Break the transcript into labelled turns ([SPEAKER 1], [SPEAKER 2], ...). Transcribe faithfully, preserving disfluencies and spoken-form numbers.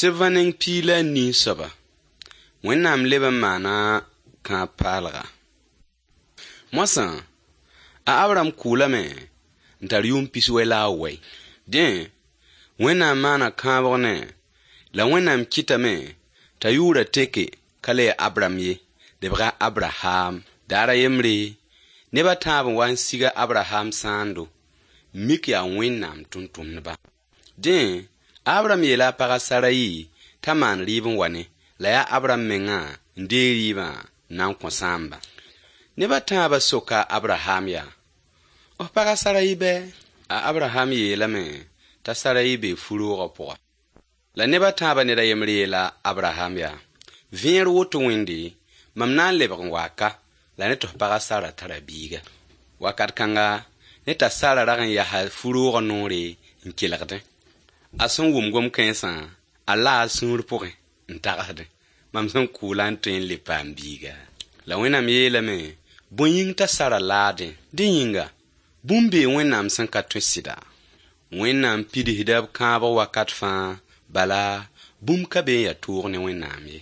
[SPEAKER 1] Sɩbvã neng piig la a nii soaba, Wẽnnaam leb n maana kãab paalga. Moasã, a Abraham kʋʋlame n tar yʋʋm pis-wɛ la a wɛ. Dẽ, Wẽnnaam maana kãabg ne la Wẽnnaam kɩtame t'a yʋʋrã teke ka le ya Abram ye, lebga a Abraham. Daar a yembre, neb a tãab n wa n sig a Abraham sãando, n mik yaa Wẽnnaam tʋmtʋmdba. Dẽ, a Abraham yeela a pag a Sarayi t'a maan rɩɩb n wa ne, la yaa Abraham mengã n deeg rɩɩbã n na n kõ sãambã. Neb a tãabã soka a Abraham yaa: F pag a Sarayi bɛ? A Abraham yeelame t'a Sarayi bee fu-roogã pʋga. La neb a tãabã ned a yembr yeela Abraham yaa: Vẽer woto wẽnde, mam na n lebg n waa ka, la ne tɩ f pag a Sara tara biiga. Wakat kãnga, ne t'a Sara rag n yasa fu-roogã noore n kelgdẽ. A sẽn wʋm gom-kãensã, a laa a sũur pʋgẽ n tagsdẽ: Mam sẽn kʋʋlã n tõe n le paam biiga? La Wẽnnaam yeelame, bõe yĩng t'a Sara laadẽ? Dẽ yĩnga, bũmb bee Wẽnnaam sẽn ka tõe sɩda. Wẽnnaam pidsda b kãabg wakat fãa, bala bũmb ka be n ya toog ne Wẽnnaam ye.